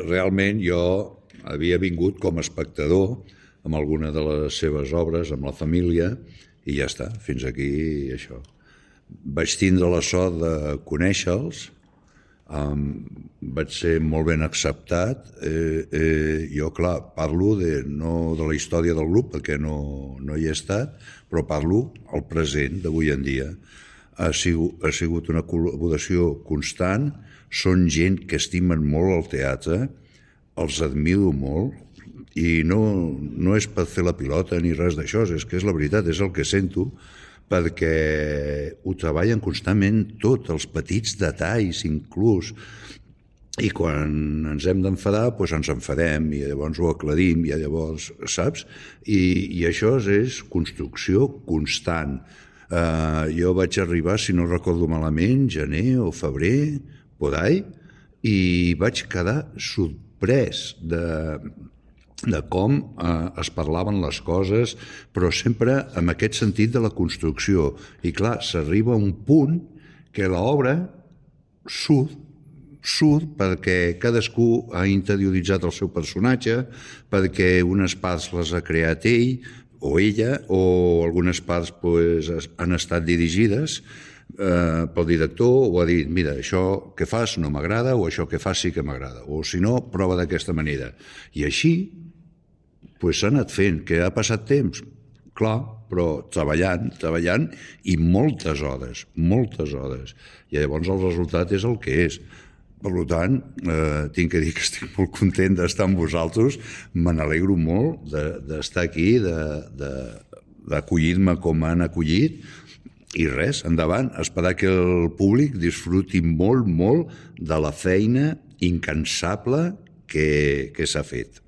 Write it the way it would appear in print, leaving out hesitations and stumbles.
realment jo havia vingut com a espectador amb alguna de les seves obres, amb la família, i ja està, fins aquí això. Vaig tindre la sort de conèixer-los, vaig ser molt ben acceptat. Jo, clar, parlo no de la història del grup, perquè no hi he estat, però parlo al present d'avui en dia. Ha sigut una col·laboració constant, són gent que estimen molt el teatre, els admiro molt, i no és per fer la pilota ni res d'això, és que és la veritat, és el que sento, perquè ho treballen constantment tot, els petits detalls inclús, i quan ens hem d'enfadar, doncs ens enfadem i llavors ho aclarim, i llavors, saps? I això és construcció constant. Jo vaig arribar, si no recordo malament, gener o febrer, por ahí, i vaig quedar sorprès de com es parlaven les coses, però sempre amb aquest sentit de la construcció. I clar, s'arriba a un punt que l'obra surt perquè cadascú ha interioritzat el seu personatge, perquè unes parts les ha creat ell o ella, o algunes parts han estat dirigides pel director, o ha dit, mira, això que fas no m'agrada, o això que fas sí que m'agrada, o si no, prova d'aquesta manera. I així s'ha anat fent. Que ha passat temps? Clar, però treballant, i moltes hores. I llavors el resultat és el que és. Per tant, tinc que dir que estic molt content d'estar amb vosaltres, me n'alegro molt d'estar aquí, d'acollir-me com m'han acollit, i res, endavant, esperar que el públic disfruti molt de la feina incansable que s'ha fet.